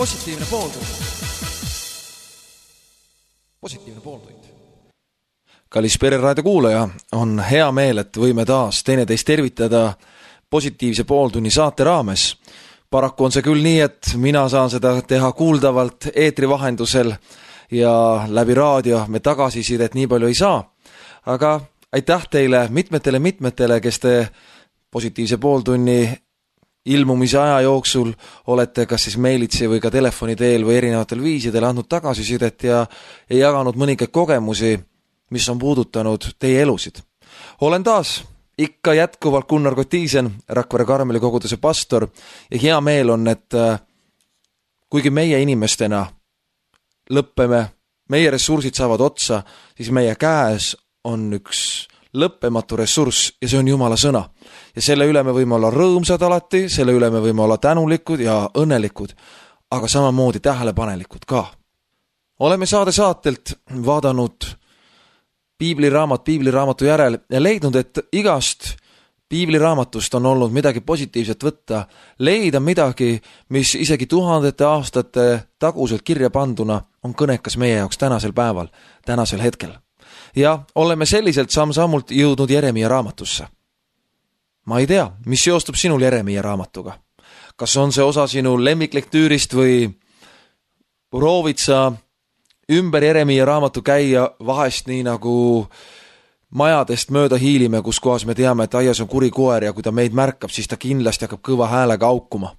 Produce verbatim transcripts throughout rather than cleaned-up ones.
positiivne pooltund. Positiivne pooltund. Kallis Pereraadio kuulaja, on hea meel, et võime taas teineteist tervitada positiivse pooltunni saate raames. Paraku on see küll nii, et mina saan seda teha kuuldavalt eetri vahendusel ja läbi raadio me tagasisidet nii palju ei saa. Aga aitäh teile mitmetele mitmetele, kes te positiivse pooltunni ilmumise aja jooksul olete kas siis meilitsi või ka telefoni teel või erinevatel viisidel andnud tagasisidet ja ei jaganud mõningaid kogemusi, mis on puudutanud teie elusid. Olen taas ikka jätkuvalt Gunnar Kotiisen, Rakvere Karmeli koguduse pastor ja hea meel on, et kuigi meie inimestena lõppeme, meie ressursid saavad otsa, siis meie käes on üks lõppematu ressurss ja see on Jumala sõna. Ja selle üle me võime olla rõõmsad alati, selle üle me võime olla tänulikud ja õnnelikud, aga samamoodi tähelepanelikud ka. Oleme saade saatelt vaadanud piibliraamat piibliraamatu järel ja leidnud, et igast piibliraamatust on olnud midagi positiivset võtta, leida midagi, mis isegi tuhandete aastate taguselt kirja panduna on kõnekas meie jaoks tänasel päeval, tänasel hetkel. Ja oleme selliselt samm-sammult jõudnud Jeremia raamatusse. Ma ei tea, mis seostub sinul Jeremia raamatuga. Kas on see osa sinu lemmiklektüürist või proovid sa ümber Jeremia raamatu käia vahest nii nagu majadest mööda hiilime, kus kohas me teame, et aias on kuri koer ja kui ta meid märkab, siis ta kindlasti hakkab kõva häälega aukuma.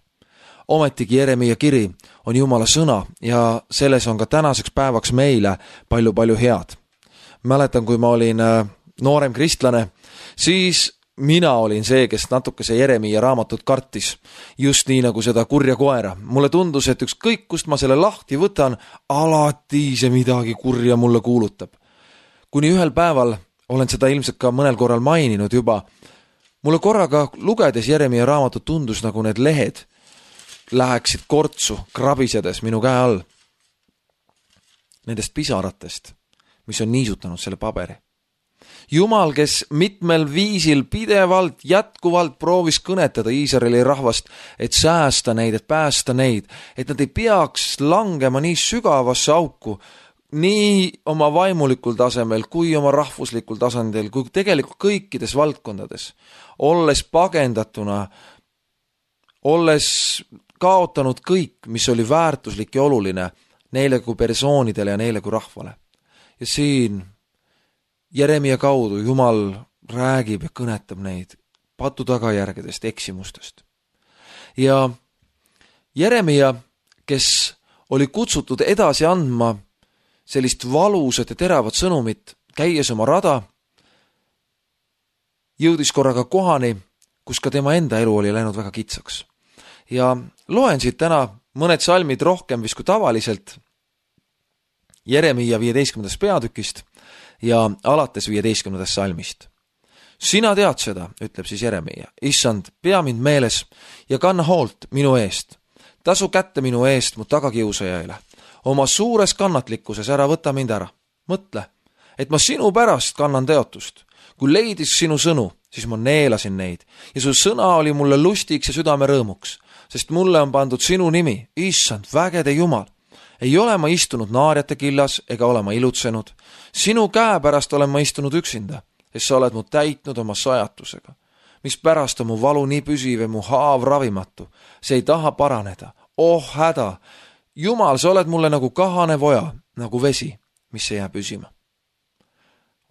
Ometigi Jeremia kiri on Jumala sõna ja selles on ka tänaseks päevaks meile palju-palju head. Mäletan, kui ma olin noorem kristlane, siis mina olin see, kes natuke see Jeremia raamatut kartis, just nii nagu seda kurja koera. Mulle tundus, et ükskõik kust ma selle lahti võtan, alati see midagi kurja mulle kuulutab. Kuni ühel päeval, olen seda ilmselt ka mõnel korral maininud juba, mulle korraga lugedes Jeremia raamatut tundus, nagu need lehed läheksid kortsu krabisedes minu käe all. Nendest pisaratest, mis on niisutanud selle paberi. Jumal, kes mitmel viisil pidevalt, jätkuvalt proovis kõnetada Iisraeli rahvast, et säästa neid, et päästa neid, et nad ei peaks langema nii sügavasse auku, nii oma vaimulikul tasemel, kui oma rahvuslikul tasandil, kui tegelikult kõikides valdkondades, olles pagendatuna, olles kaotanud kõik, mis oli väärtuslik ja oluline neile kui persoonidele ja neile kui rahvale. Ja siin Jeremia kaudu Jumal räägib ja kõnetab neid patu tagajärgedest, eksimustest. Ja Jeremia, kes oli kutsutud edasi andma sellist valusat ja teravat sõnumit, käies oma rada, jõudis korraga kohani, kus ka tema enda elu oli läinud väga kitsaks. Ja loen siit täna mõned salmid rohkem vis kui tavaliselt Jeremia viieteistkümnendast peatükist ja alates viieteistkümnendast salmist. Sina tead seda, ütleb siis Jeremia. Issand, pea mind meeles ja kanna hoolt minu eest. Tasu kätte minu eest mu tagakiusajaile. Oma suures kannatlikkuses ära võta mind ära. Mõtle, et ma sinu pärast kannan teotust. Kui leidis sinu sõnu, siis ma neelasin neid ja su sõna oli mulle lustiks ja südame rõõmuks, sest mulle on pandud sinu nimi, Issand, vägede Jumal. Ei ole ma istunud naarjate killas ega ole ma ilutsenud. Sinu käe pärast olen ma istunud üksinda, sest sa oled mu täitnud oma sajatusega. Mis pärast on mu valu nii püsiv ja mu haav ravimatu. See ei taha paraneda. Oh häda! Jumal, sa oled mulle nagu kahane voja, nagu vesi, mis ei jää püsima.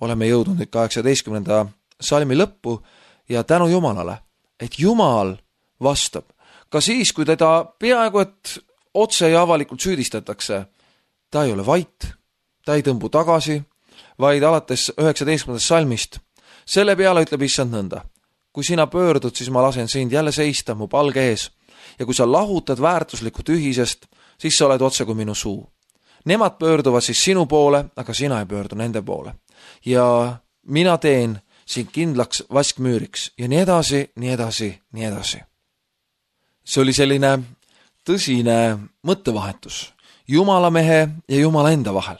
Oleme jõudnud nüüd kaheksateistkümnenda salmi lõppu ja tänu Jumalale, et Jumal vastab. Ka siis, kui teda peaaegu et otse ja avalikult süüdistatakse, ta ei ole vait, ta ei tõmbu tagasi, vaid alates üheksateistkümnendast salmist. Selle peale ütleb Issand nõnda. Kui sina pöördud, siis ma lasen sind jälle seista mu palge ees ja kui sa lahutad väärtuslikut ühisest, siis sa oled otse kui minu suu. Nemad pöörduvad siis sinu poole, aga sina ei pöördu nende poole. Ja mina teen sind kindlaks vaskmüüriks ja nii edasi, nii edasi, nii edasi. See oli selline tõsine mõttevahetus Jumalamehe ja Jumala enda vahel.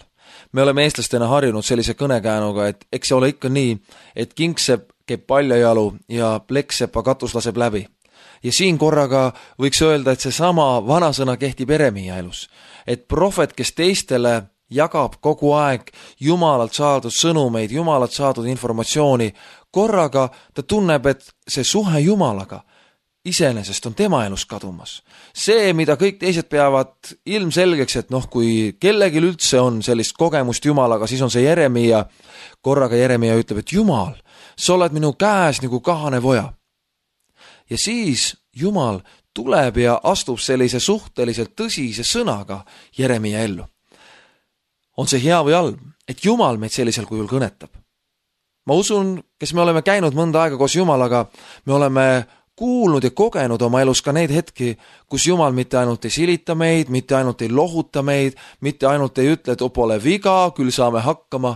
Me oleme eestlastena harjunud sellise kõnekäänuga, et eks see ole ikka nii, et kingsepp keeb paljajalu ja plekksepa katus laseb läbi. ja siin korraga võiks öelda, et see sama vanasõna kehtib Jeremiia elus. Et prohvet, kes teistele jagab kogu aeg Jumalalt saadud sõnumeid, Jumalalt saadud informatsiooni, korraga ta tunneb, et see suhe Jumalaga iseenesest on tema elus kadumas. See, mida kõik teised peavad ilmselgeks, et noh, kui kellegil üldse on sellist kogemust Jumalaga, siis on see Jeremiia. Korraga Jeremiia ütleb, et Jumal, sa oled minu käes nagu kahane voja. Ja siis Jumal tuleb ja astub sellise suhteliselt tõsise sõnaga Jeremiia ellu. On see hea või halb, et Jumal meid sellisel kujul kõnetab? Ma usun, kes me oleme käinud mõnda aega koos Jumalaga, me oleme kuulnud ja kogenud oma elus ka neid hetki, kus Jumal mitte ainult ei silita meid, mitte ainult ei lohuta meid, mitte ainult ei ütle, et pole viga, küll saame hakkama,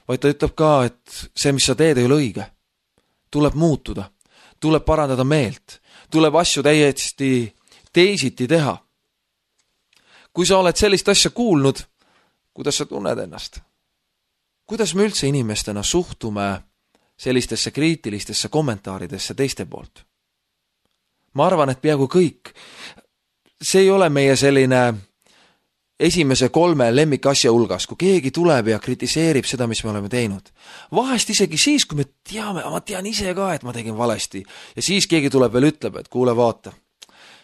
vaid ta ütleb ka, et see, mis sa teed, ei ole õige. Tuleb muutuda, tuleb parandada meelt, tuleb asju täiesti teisiti teha. Kui sa oled sellist asja kuulnud, kuidas sa tunned ennast? Kuidas me üldse inimestena suhtume sellistesse kriitilistesse kommentaaridesse teiste poolt? Ma arvan, et peaaegu kõik. See ei ole meie selline esimese kolme lemmikasja hulgas, kui keegi tuleb ja kritiseerib seda, mis me oleme teinud. Vahest isegi siis, kui me teame, ma tean ise ka, et ma tegin valesti. Ja siis keegi tuleb veel ütleb, et kuule vaata,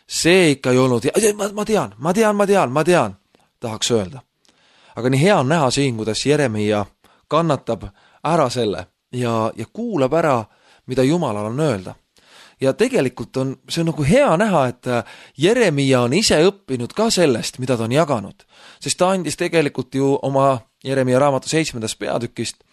see ikka ei olnud, ma, ma tean, ma tean, ma tean, ma tean, tahaks öelda. Aga nii hea on näha siin, kuidas Jeremiia kannatab ära selle ja, ja kuulab ära, mida Jumalal on öelda. Ja tegelikult on, see on nagu hea näha, et Jeremiia on ise õppinud ka sellest, mida ta on jaganud. Sest ta andis tegelikult ju oma Jeremiia raamatu seitsmendast peatükist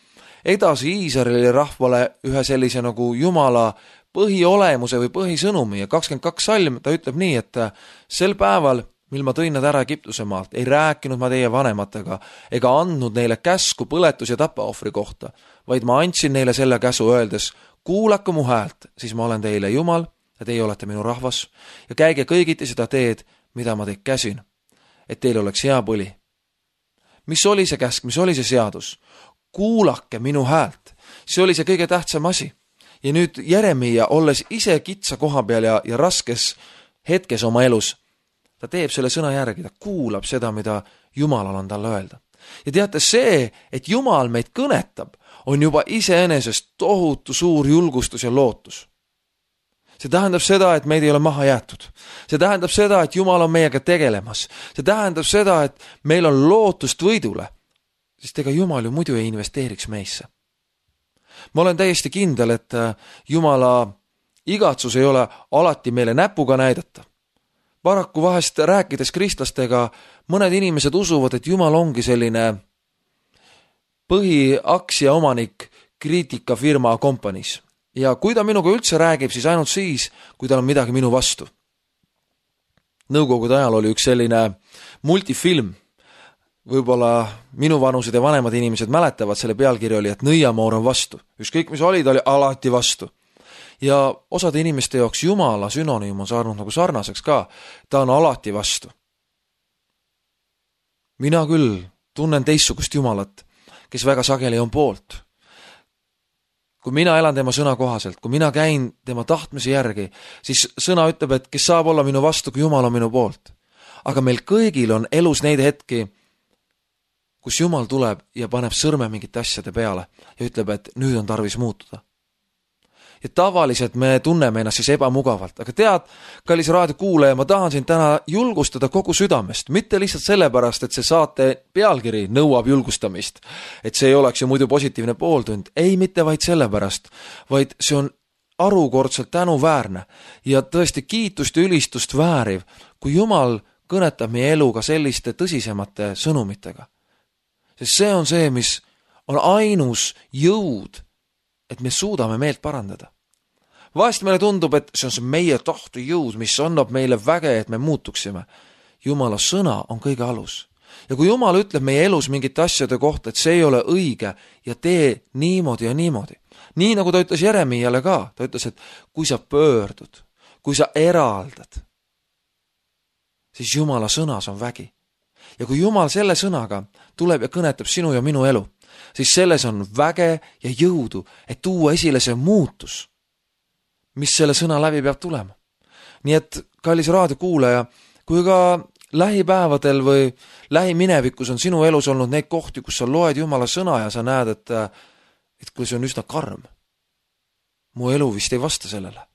edasi Iisraeli rahvale ühe sellise nagu Jumala põhiolemuse või põhisõnumi ja kakskümmend kaks salm ta ütleb nii, et sel päeval, mil ma tõin nad ära Egiptuse maalt, ei rääkinud ma teie vanematega ega andnud neile käsku põletus- ja tapaohvri kohta, vaid ma andsin neile selle käsu öeldes, kuulake mu häält, siis ma olen teile Jumal ja teie olete minu rahvas ja käige kõigiti seda teed, mida ma teid käsin, et teil oleks hea põli. Mis oli see käsk, mis oli see seadus? Kuulake minu häält. See oli see kõige tähtsam asi. Ja nüüd Jeremiia, olles ise kitsa koha peal ja, ja raskes hetkes oma elus, ta teeb selle sõna järgi, ta kuulab seda, mida Jumalal on talle öelda. Ja teate see, et Jumal meid kõnetab, on juba iseenesest tohutu suur julgustus ja lootus. See tähendab seda, et meid ei ole maha jäetud. See tähendab seda, et Jumal on meiega tegelemas. See tähendab seda, et meil on lootust võidule, sest ega Jumal ju muidu ei investeeriks meisse. Ma olen täiesti kindel, et Jumala igatsus ei ole alati meile näpuga näidata. Paraku vahest rääkides kristlastega, mõned inimesed usuvad, et Jumal ongi selline põhiaktsia omanik kriitikafirma kompaniis. Ja kui ta minuga üldse räägib, siis ainult siis, kui tal on midagi minu vastu. Nõukogude ajal oli üks selline multifilm. Võib-olla minu vanused ja vanemad inimesed mäletavad, selle pealkiri oli, et Nõiamoor on vastu. Ükskõik mis oli, ta oli alati vastu. Ja osade inimeste jaoks Jumala sünonüüm on saanud nagu sarnaseks ka. Ta on alati vastu. Mina küll tunnen teistsugust Jumalat, kes väga sageli on poolt. Kui mina elan tema sõna kohaselt, kui mina käin tema tahtmise järgi, siis sõna ütleb, et kes saab olla minu vastu, kui Jumal on minu poolt. Aga meil kõigil on elus neid hetki, kus Jumal tuleb ja paneb sõrme mingite asjade peale ja ütleb, et nüüd on tarvis muutuda. Ja tavaliselt me tunneme ennast siis ebamugavalt. Aga tead, kallis raadiokuulaja, ma tahan sind täna julgustada kogu südamest. Mitte lihtsalt sellepärast, et see saate pealkiri nõuab julgustamist. Et see ei oleks ju muidu positiivne pooltund. Ei, mitte vaid sellepärast, vaid see on arukordselt tänuväärne ja tõesti kiitust ja ülistust vääriv, kui Jumal kõnetab meie elu ka selliste tõsisemate sõnumitega. Sest see on see, mis on ainus jõud, et me suudame meelt parandada. Vahest meile tundub, et see on see meie tahte jõud, mis annab meile väge, et me muutuksime. Jumala sõna on kõige alus. Ja kui Jumal ütleb meie elus mingite asjade kohta, et see ei ole õige ja tee niimoodi ja niimoodi. Nii nagu ta ütles Jeremiale ka, ta ütles, et kui sa pöördud, kui sa eraldad, siis Jumala sõnas on vägi. Ja kui Jumal selle sõnaga tuleb ja kõnetab sinu ja minu elu, siis selles on väge ja jõudu, et tuua esile see muutus, mis selle sõna läbi peab tulema. Nii et, kallis raadiokuulaja, kui ka lähipäevadel või lähiminevikus on sinu elus olnud neid kohti, kus sa loed Jumala sõna ja sa näed, et, et kui see on üsna karm. Mu elu vist ei vasta sellele.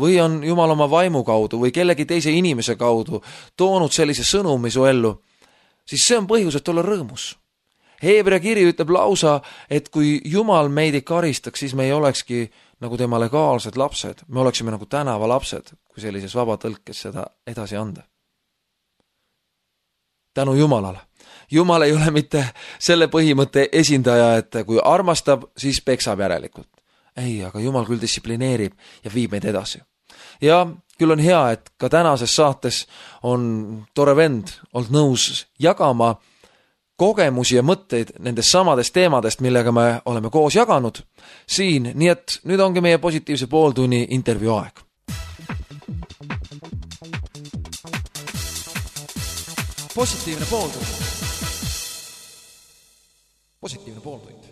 Või on Jumal oma vaimu kaudu või kellegi teise inimese kaudu toonud sellise sõnumi su ellu, siis see on põhjus, et olla rõõmus. Heebrea kiri ütleb lausa, et kui Jumal meid ei karistaks, siis me ei olekski nagu tema legaalsed lapsed. Me oleksime nagu tänava lapsed, kui sellises vabatõlkes seda edasi anda. Tänu Jumalale. Jumal ei ole mitte selle põhimõtte esindaja, et kui armastab, siis peksab järelikult. Ei, aga Jumal küll distsiplineerib ja viib meid edasi. Ja küll on hea, et ka tänases saates on tore vend olnud nõus jagama kogemusi ja mõtteid nendest samadest teemadest, millega me oleme koos jaganud siin, nii et nüüd ongi meie positiivse pooltunni intervjuu aeg. Positiivne pooltund. Positiivne pooltund.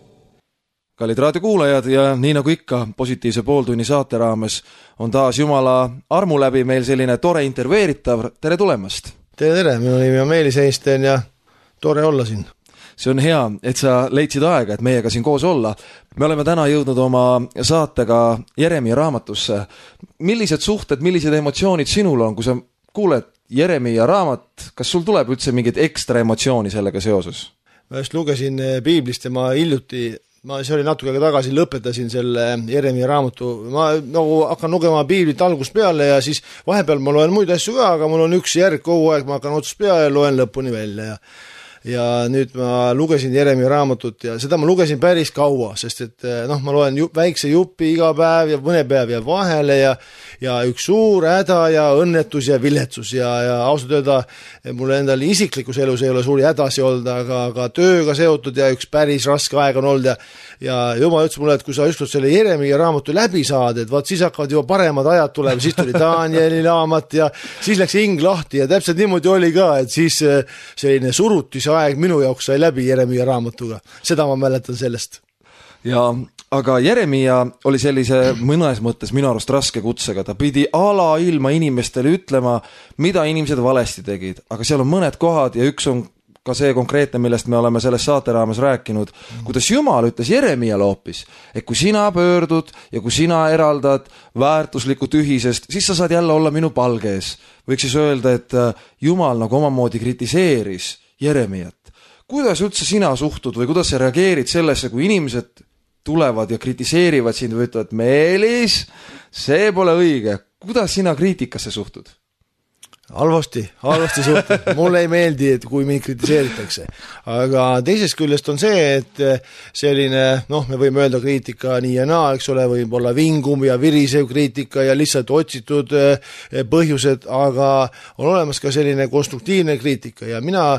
Kallid raadiokuulajad ja nii nagu ikka positiivse pooltunni saate raames on taas Jumala armu läbi meil selline tore intervjueeritav. Tere tulemast! Tere, tere! Minu nimi on Meelis Einstein ja tore olla siin. See on hea, et sa leidsid aega, et meiega siin koos olla. Me oleme täna jõudnud oma saatega Jeremia raamatusse. Millised suhted, millised emotsioonid sinul on, kui sa kuuled Jeremia raamat, kas sul tuleb üldse mingit ekstra emotsiooni sellega seoses? Ma just lugesin Piiblist ja ma hiljuti, ma see oli natuke aega tagasi, lõpetasin selle Jeremia raamatu. Ma nagu hakkan lugema Piiblit algust peale ja siis vahepeal ma loen muid asju ka, aga mul on üks järg kogu aeg, ma hakkan otsust peale ja loen lõpuni välja ja ja nüüd ma lugesin Jeremia raamatut ja seda ma lugesin päris kaua, sest et noh, ma loen ju, väikse jupi iga päev ja mõne päev ja vahele ja, ja üks suur häda ja õnnetus ja viletsus ja, ja ausalt öelda, mul endal isiklikus elus ei ole suuri hädasi olnud, aga, aga tööga seotud ja üks päris raske aeg on olnud ja, ja Jumal ütles mulle, et kui sa ükskord selle Jeremia raamatu läbi saad, et vaat siis hakkavad juba paremad ajad tulema, siis tuli Danieli raamat ja siis läks hing lahti ja täpselt niimoodi oli ka, et siis selline surutis aeg minu jaoks sai läbi Jeremia raamatuga. Seda ma mäletan sellest. Ja, aga Jeremia oli sellise mõnes mõttes minu arust raske kutsega. Ta pidi ala ilma inimestele ütlema, mida inimesed valesti tegid. Aga seal on mõned kohad ja üks on ka see konkreetne, millest me oleme selles saate raames rääkinud, kuidas Jumal ütles Jeremiale hoopis, et kui sina pöördud ja kui sina eraldad väärtuslikku tühisest, siis sa saad jälle olla minu palgees. Võiks siis öelda, et Jumal nagu omamoodi kritiseeris Jeremiat. Kuidas üldse sina suhtud või kuidas sa reageerid sellesse, kui inimesed tulevad ja kritiseerivad sind või ütlevad, Meelis, see pole õige. Kuidas sina kriitikasse suhtud? Halvasti, halvasti suhtud. Mulle ei meeldi, et kui mind kritiseeritakse. Aga teisest küljest on see, et selline, noh, me võime öelda kriitika nii ja naa, eks ole, võib olla vingum ja virisev kriitika ja lihtsalt otsitud põhjused, aga on olemas ka selline konstruktiivne kriitika ja mina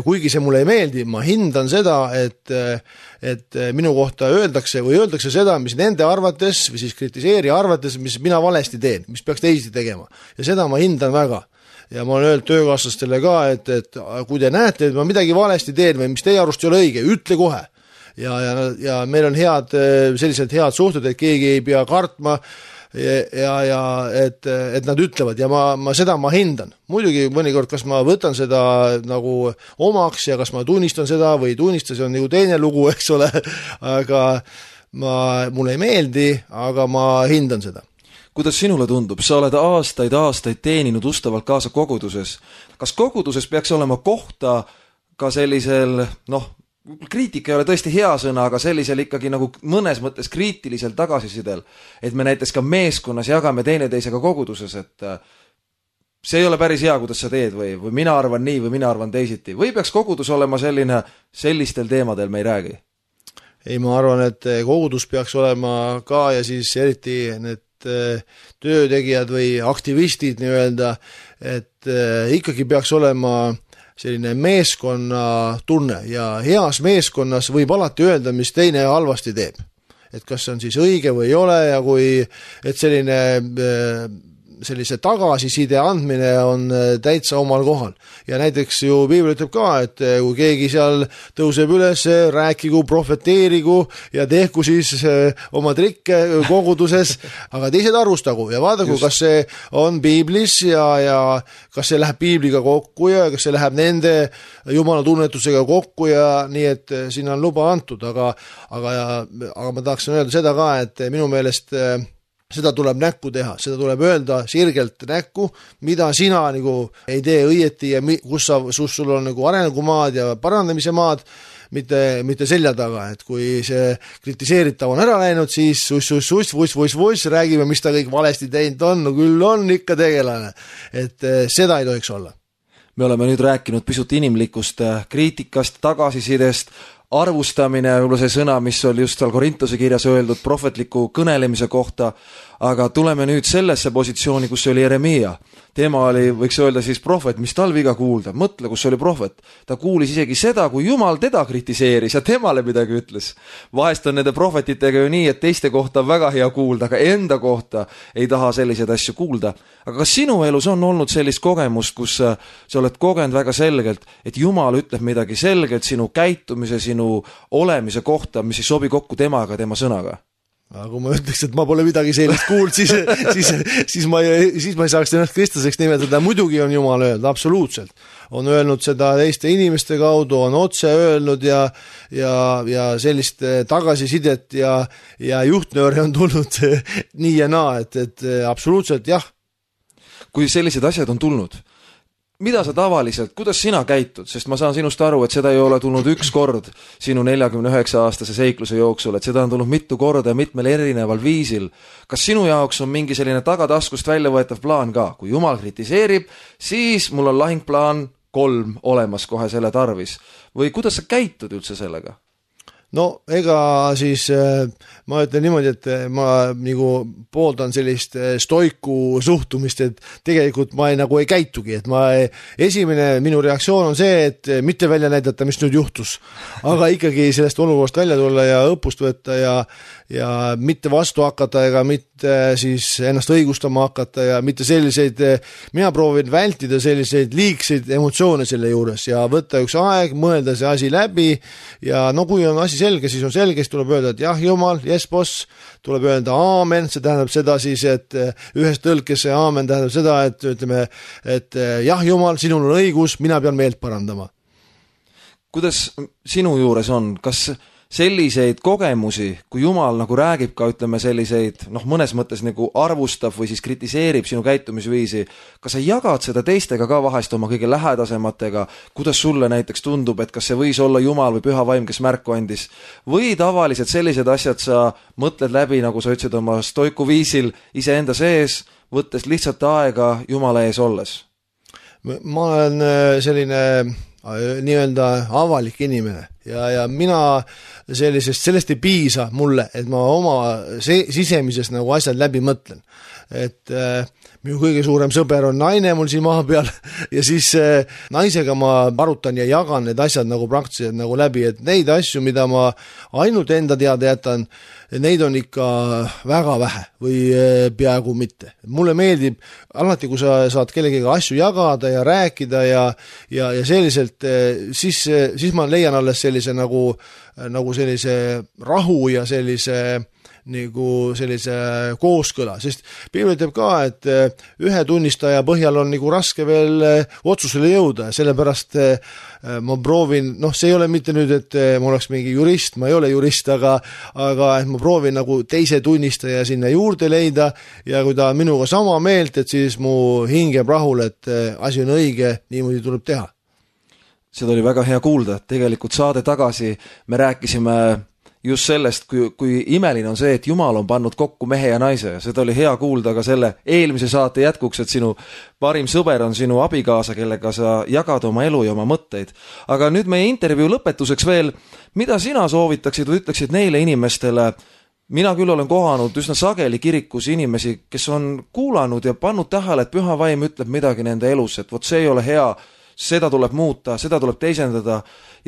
kuigi see mulle ei meeldi, ma hindan seda, et, et minu kohta öeldakse või öeldakse seda, mis nende arvates või siis kritiseeri arvates, mis mina valesti teen, mis peaks teisiti tegema. Ja seda ma hindan väga. Ja ma olen öelnud töökaaslastele ka, et, et kui te näete, et ma midagi valesti teen või mis teie arust ei ole õige, ütle kohe. Ja, ja, ja meil on head, sellised head suhted, et keegi ei pea kartma ja, ja, ja et, et nad ütlevad ja ma, ma seda ma hindan. Muidugi mõnikord, kas ma võtan seda nagu omaks ja kas ma tunnistan seda või ei tunnista, see on nagu teine lugu, eks ole, aga ma, mulle ei meeldi, aga ma hindan seda. Kuidas sinule tundub? Sa oled aastaid, aastaid teeninud ustavalt kaasa koguduses. Kas koguduses peaks olema kohta ka sellisel, noh, kriitika ei ole tõesti hea sõna, aga sellisel ikkagi nagu mõnes mõttes kriitilisel tagasisidel, et me näiteks ka meeskonnas jagame teineteisega koguduses, et see ei ole päris hea, kuidas sa teed või, või mina arvan nii või mina arvan teisiti. Või peaks kogudus olema selline, sellistel teemadel me ei räägi? Ei, ma arvan, et kogudus peaks olema ka ja siis eriti need töötegijad või aktivistid nii-öelda, et ikkagi peaks olema selline meeskonna tunne ja heas meeskonnas võib alati öelda, mis teine halvasti teeb. Et kas see on siis õige või ei ole ja kui, et selline sellise tagasiside andmine on täitsa omal kohal. Ja näiteks ju Piibel ütleb ka, et kui keegi seal tõuseb üles, rääkigu, profeteerigu ja tehku siis oma trikke koguduses, aga teised arvustagu ja vaadagu, Just. kas see on Piiblis ja, ja kas see läheb Piibliga kokku ja kas see läheb nende Jumala tunnetusega kokku ja nii, et sinna on luba antud, aga, aga, aga ma tahaksin öelda seda ka, et minu meelest seda tuleb näkku teha, seda tuleb öelda sirgelt näkku, mida sina nagu ei tee õieti ja kus sa, sus sul on nagu arengumaad ja parandamise maad, mitte, mitte selja taga, et kui see kritiseeritav on ära läinud, siis sus, sus, sus, vuss, vuss, vuss, räägime, mis ta kõik valesti teinud on, no küll on ikka tegelane, et seda ei tohiks olla. Me oleme nüüd rääkinud pisut inimlikust kriitikast, tagasisidest, arvustamine, võib-olla see sõna, mis oli just seal Korintuse kirjas öeldud prohvetliku kõnelemise kohta, aga tuleme nüüd sellesse positsiooni, kus oli Jeremia. Tema oli, võiks öelda siis prohvet, mis tal viga kuulda. Mõtle, kus oli prohvet. Ta kuulis isegi seda, kui Jumal teda kritiseeris ja temale midagi ütles. Vahest on nende prohvetitega ju nii, et teiste kohta on väga hea kuulda, aga enda kohta ei taha selliseid asju kuulda. Aga kas sinu elus on olnud sellist kogemust, kus sa oled kogenud väga selgelt, et Jumal ütleb midagi selgelt sinu käitumise, sinu olemise kohta, mis ei sobi kokku temaga, tema sõnaga? Aga kui ma ütleks, et ma pole midagi sellist kuuld, siis, siis, siis, ma ei, siis ma ei saaks ennast kristlaseks nimetada. Muidugi on Jumal öelnud, absoluutselt. On öelnud seda teiste inimeste kaudu, on otse öelnud ja, ja, ja sellist tagasisidet ja, ja juhtnööre on tulnud nii ja naa, et, et absoluutselt jah. Kui sellised asjad on tulnud, mida sa tavaliselt, kuidas sina käitud, sest ma saan sinust aru, et seda ei ole tulnud üks kord sinu neljakümne üheksa aastase seikluse jooksul, et seda on tulnud mitu korda ja mitmel erineval viisil. Kas sinu jaoks on mingi selline tagataskust välja võetav plaan ka? Kui Jumal kritiseerib, siis mul on lahingplaan kolm olemas kohe selle tarvis. Või kuidas sa käitud üldse sellega? No ega siis ma ütlen niimoodi, et ma nagu pooldan sellist stoiku suhtumist, et tegelikult ma ei, nagu ei käitugi, et ma ei, esimene minu reaktsioon on see, et mitte välja näidata, mis nüüd juhtus, aga ikkagi sellest olukorrast välja tulla ja õppust võtta ja, ja mitte vastu hakata ega mitte siis ennast õigustama hakata ja mitte selliseid, mina proovin vältida selliseid liigseid emotsioone selle juures ja võtta üks aeg, mõelda see asi läbi ja no kui on asi selge, siis on selge, siis tuleb öelda, et jah, Jumal, yes, boss, tuleb öelda aamen, see tähendab seda siis, et ühes tõlkes see aamen tähendab seda, et ütleme, et jah, Jumal, sinul on õigus, mina pean meelt parandama. Kuidas sinu juures on, kas selliseid kogemusi, kui Jumal nagu räägib ka, ütleme selliseid, noh mõnes mõttes nagu arvustab või siis kritiseerib sinu käitumisviisi, kas sa jagad seda teistega ka vahest oma kõige lähedasematega, kuidas sulle näiteks tundub, et kas see võis olla Jumal või Püha Vaim, kes märku andis, või tavaliselt sellised asjad sa mõtled läbi, nagu sa ütlesid oma stoiku viisil iseenda sees, võttes lihtsalt aega Jumala ees olles? Ma olen selline nii-öelda avalik inimene ja, ja mina sellisest, sellest ei piisa mulle, et ma oma sisemises nagu asjad läbi mõtlen. Et äh, minu kõige suurem sõber on naine mul siin maa peal ja siis äh, naisega ma arutan ja jagan need asjad nagu praktiliselt nagu läbi, et neid asju, mida ma ainult enda teada jätan, neid on ikka väga vähe või äh, peaaegu mitte. Mulle meeldib alati, kui sa saad kellegiga asju jagada ja rääkida ja, ja, ja selliselt, äh, siis, siis ma leian alles sellise nagu, nagu sellise rahu ja sellise nagu sellise kooskõla, sest Piibel ütleb ka, et ühe tunnistaja põhjal on nagu raske veel otsusele jõuda, sellepärast ma proovin, noh, see ei ole mitte nüüd, et ma oleks mingi jurist, ma ei ole jurist, aga, aga et ma proovin nagu teise tunnistaja sinna juurde leida ja kui ta on minuga sama meelt, et siis mu hing jääb rahule, et asi on õige, niimoodi tuleb teha. Seda oli väga hea kuulda, tegelikult saade tagasi me rääkisime just sellest, kui, kui imeline on see, et Jumal on pannud kokku mehe ja naise ja seda oli hea kuulda ka selle eelmise saate jätkuks, et sinu parim sõber on sinu abikaasa, kellega sa jagad oma elu ja oma mõtteid. Aga nüüd meie intervjuu lõpetuseks veel, mida sina soovitaksid või ütleksid neile inimestele, mina küll olen kohanud üsna sageli kirikus inimesi, kes on kuulanud ja pannud tähele, et Püha Vaim ütleb midagi nende elus, et vot see ei ole hea, seda tuleb muuta, seda tuleb teisendada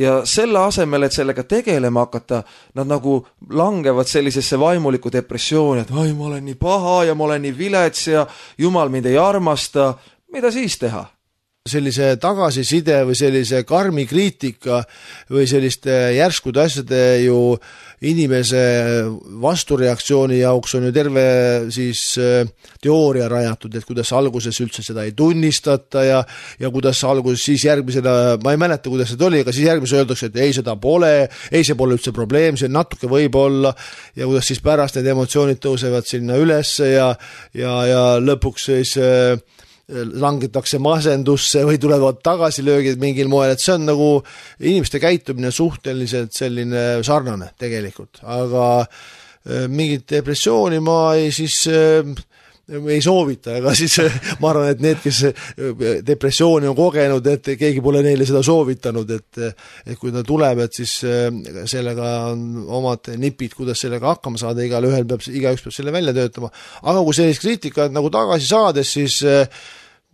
ja selle asemel, et sellega tegelema hakata, nad nagu langevad sellisesse vaimuliku depressiooni, et ai, ma olen nii paha ja ma olen nii vilets ja jumal mind ei armasta, mida siis teha? Sellise tagasiside või sellise karmi kriitika või selliste järskude asjade ju inimese vastureaktsiooni jaoks on ju terve siis teooria rajatud, et kuidas alguses üldse seda ei tunnistata ja, ja kuidas alguses siis järgmisena, ma ei mäleta, kuidas see oli, aga siis järgmise öeldakse, et ei, seda pole, ei, see pole üldse probleem, see natuke võib olla ja kuidas siis pärast need emotsioonid tõusevad sinna ülesse ja, ja, ja lõpuks siis langetakse masendusse või tulevad tagasilöögid mingil moel, et see on nagu inimeste käitumine suhteliselt selline sarnane tegelikult, aga mingit depressiooni ma ei siis ei soovita, aga siis ma arvan, et need, kes depressiooni on kogenud, et keegi pole neile seda soovitanud, et, et kui ta tuleb, et siis sellega on omad nipid, kuidas sellega hakkama saada, igal ühel peab, igaüks peab selle välja töötama, aga kui sellist kriitikat nagu tagasi saades, siis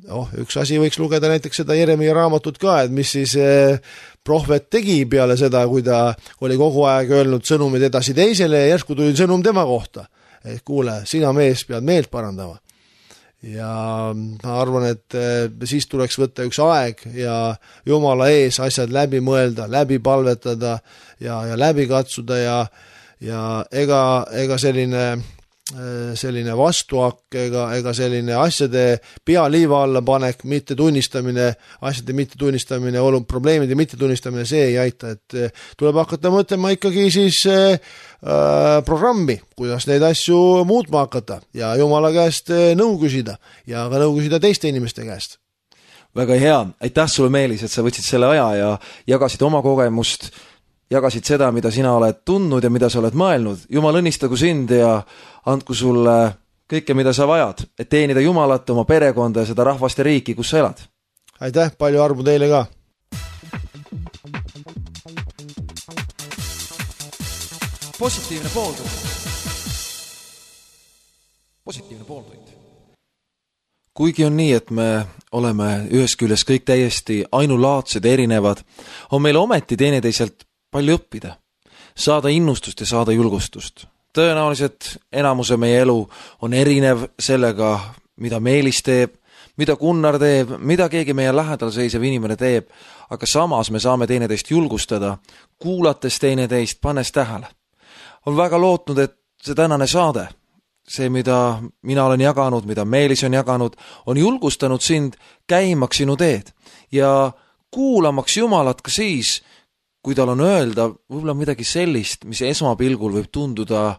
oh, üks asi võiks lugeda näiteks seda Jeremia raamatut ka, et mis siis prohvet tegi peale seda, kui ta oli kogu aeg öelnud sõnumid edasi teisele ja järsku tuli sõnum tema kohta. Et kuule, sina mees pead meelt parandama. Ja ma arvan, et siis tuleks võtta üks aeg ja Jumala ees asjad läbi mõelda, läbi palvetada ja, ja läbi katsuda ja, ja ega, ega selline selline vastuhakk ega, ega selline asjade pea liiva alla panek, mitte tunnistamine, asjade mitte tunnistamine, olu, probleemide mitte tunnistamine, see ei aita, et tuleb hakata mõtlema ikkagi siis äh, programmi, kuidas neid asju muutma hakata ja Jumala käest nõu küsida ja ka nõu küsida teiste inimeste käest. Väga hea, aitäh sulle Meelis, et sa võtsid selle aja ja jagasid oma kogemust, jagasid seda, mida sina oled tundnud ja mida sa oled mõelnud. Jumal õnnistagu sind ja andku sulle kõike, mida sa vajad, et teenida Jumalat, oma perekonda ja seda rahvast ja riiki, kus sa elad. Aitäh, palju armu teile ka! Positiivne pooltund. Positiivne pooltund. Kuigi on nii, et me oleme ühes küljes kõik täiesti ainulaadsed ja erinevad, on meil ometi teineteiselt palju õppida, saada innustust ja saada julgustust. Tõenäoliselt enamuse meie elu on erinev sellega, mida Meelis teeb, mida Gunnar teeb, mida keegi meie lähedal seisev inimene teeb, aga samas me saame teineteist julgustada, kuulates teineteist, pannes tähele. On väga lootnud, et see tänane saade, see, mida mina olen jaganud, mida Meelis on jaganud, on julgustanud sind käimaks sinu teed ja kuulamaks Jumalat ka siis, kui tal on öelda võib-olla midagi sellist, mis esmapilgul võib tunduda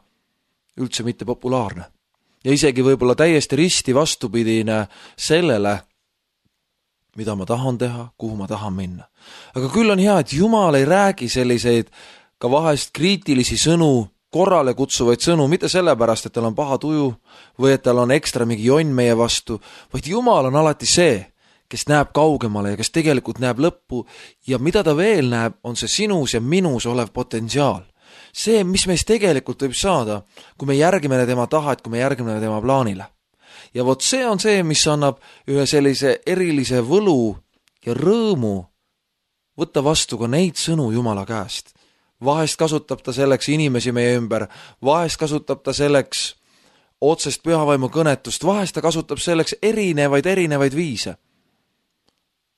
üldse mitte populaarne. Ja isegi võib-olla täiesti risti vastupidine sellele, mida ma tahan teha, kuhu ma tahan minna. Aga küll on hea, et Jumal ei räägi selliseid ka vahest kriitilisi sõnu, korrale kutsuvaid sõnu, mitte sellepärast, et tal on paha tuju või et tal on ekstra mingi jonn meie vastu, vaid Jumal on alati see, kes näeb kaugemale ja kes tegelikult näeb lõppu ja mida ta veel näeb, on see sinus ja minus olev potentsiaal. See, mis meist tegelikult võib saada, kui me järgime tema tahet, kui me järgime tema plaanile. Ja vot see on see, mis annab ühe sellise erilise võlu ja rõõmu võtta vastu ka neid sõnu Jumala käest. Vahest kasutab ta selleks inimesi meie ümber, vahest kasutab ta selleks otsest pühavaimu kõnetust, vahest ta kasutab selleks erinevaid, erinevaid viise.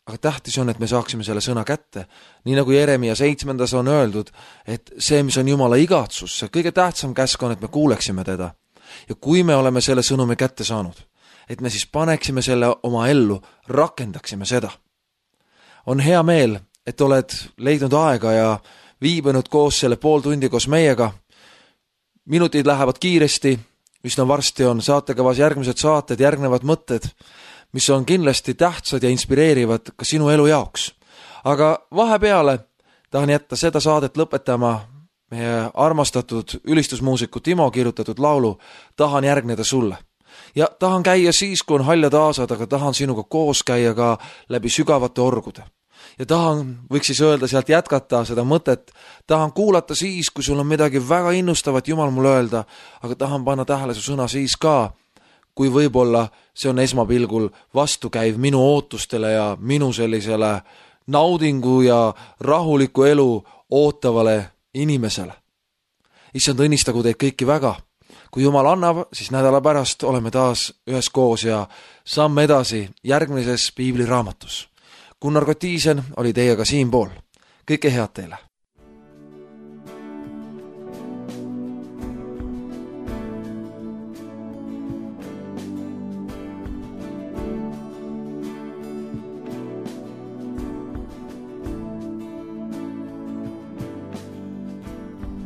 Aga tähtis on, et me saaksime selle sõna kätte. Nii nagu Jeremia seitsmendas on öeldud, et see, mis on Jumala igatsus, see kõige tähtsam käsk on, et me kuuleksime teda. Ja kui me oleme selle sõnumi kätte saanud, et me siis paneksime selle oma ellu, rakendaksime seda. On hea meel, et oled leidnud aega ja viibinud koos selle pool tundi koos meiega. Minutid lähevad kiiresti, üsna varsti on saatekavas järgmised saated, järgnevad mõtted, mis on kindlasti tähtsad ja inspireerivad ka sinu elu jaoks. Aga vahepeale tahan jätta seda saadet lõpetama meie armastatud ülistusmuusiku Timo kirjutatud laulu Tahan järgneda sulle. Ja tahan käia siis, kui on haljad aasad, aga tahan sinuga koos käia ka läbi sügavate orgude. Ja tahan, võiks siis öelda sealt jätkata seda mõtet, tahan kuulata siis, kui sul on midagi väga innustavat Jumal mulle öelda, aga tahan panna tähele su sõna siis ka, kui võib-olla see on esmapilgul vastukäiv minu ootustele ja minu sellisele naudingu ja rahuliku elu ootavale inimesele. Issand, õnnistagu teid kõiki väga. Kui Jumal annab, siis nädala pärast oleme taas ühes koos ja samme edasi järgmises piibliraamatus. Gunnar Kotiisen oli teiega siinpool. Kõike head teile!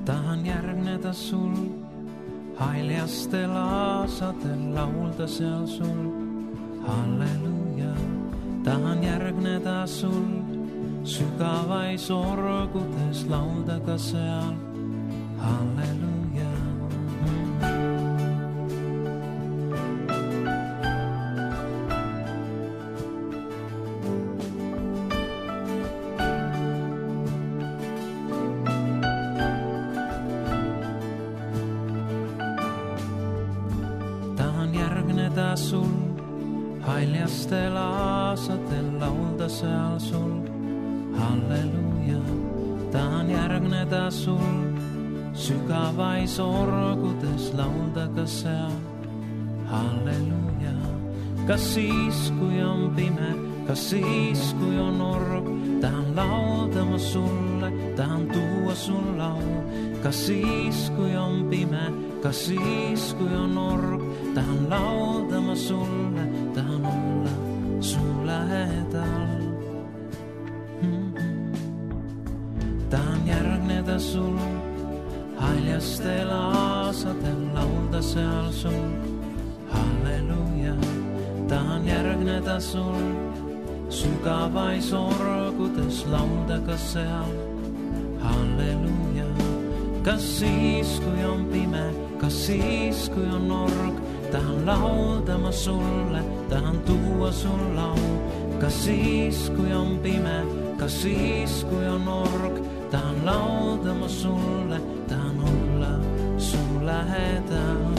Tahan järgneda sul, haljastel aasadel laulda seal sul. Halleluja, tahan järgneda sul, sügavais orgudes laulda ka seal. Halleluja. Sul, haljastel aasadel laulda seal sul. Halleluja, tahan järgneda sul, sügavais orgudes laulda ka seal. Halleluja, kas siis, kui on pime, kas siis, kui on org, tahan laulda ma sulle, tahan tuua sul lau. Kas siis, kui on pime, kas siis, kui on org, tahan laulda ma sulle, tahan olla sul lähedal. Mm-hmm. Tahan järgneda sul, haljastel aasadel laulda seal sul. Halleluja, tahan järgneda sul, sügavais orgudes laulda ka seal. Halleluja, kas siis, kui on pime, kas siis, kui on org, tahan laulda ma sulle, tahan tuua sul lau. Kas siis, kui on pime, kas siis, kui on org, tahan laulda ma sulle, tahan olla sul lähedal.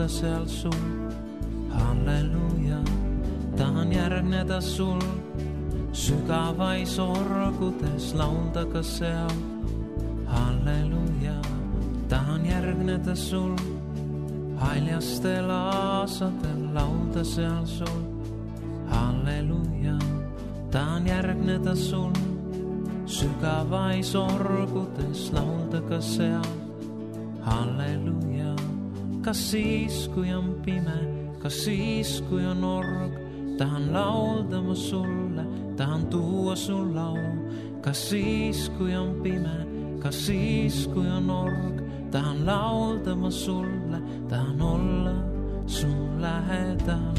Seal sul, halleluja, tahan järgneda sul, sügavais orgudes laulda ka seal. Halleluja, tahan järgneda sul, haljastel aasadel laulda seal sul. Halleluja, tahan järgneda sul, sügavais orgudes laulda ka seal. Halleluja, kas siis, kui on pime, kas siis, kui on org, tahan laulda ma sulle, tahan tuua sul lau. Kas siis, kui on pime, kas siis, kui on org, tahan laulda ma sulle, tahan olla sul lähedal.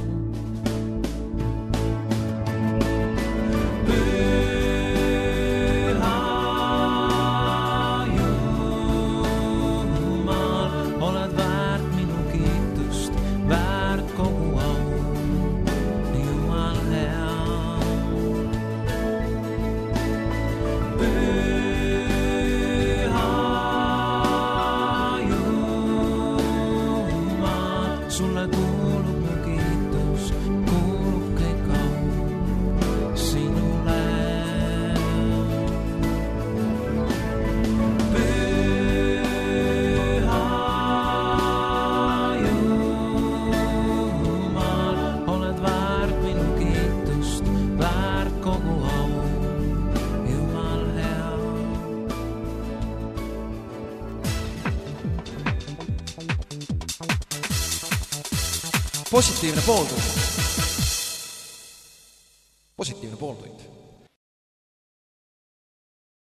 Positiivne pooltund. positiivne pooltund.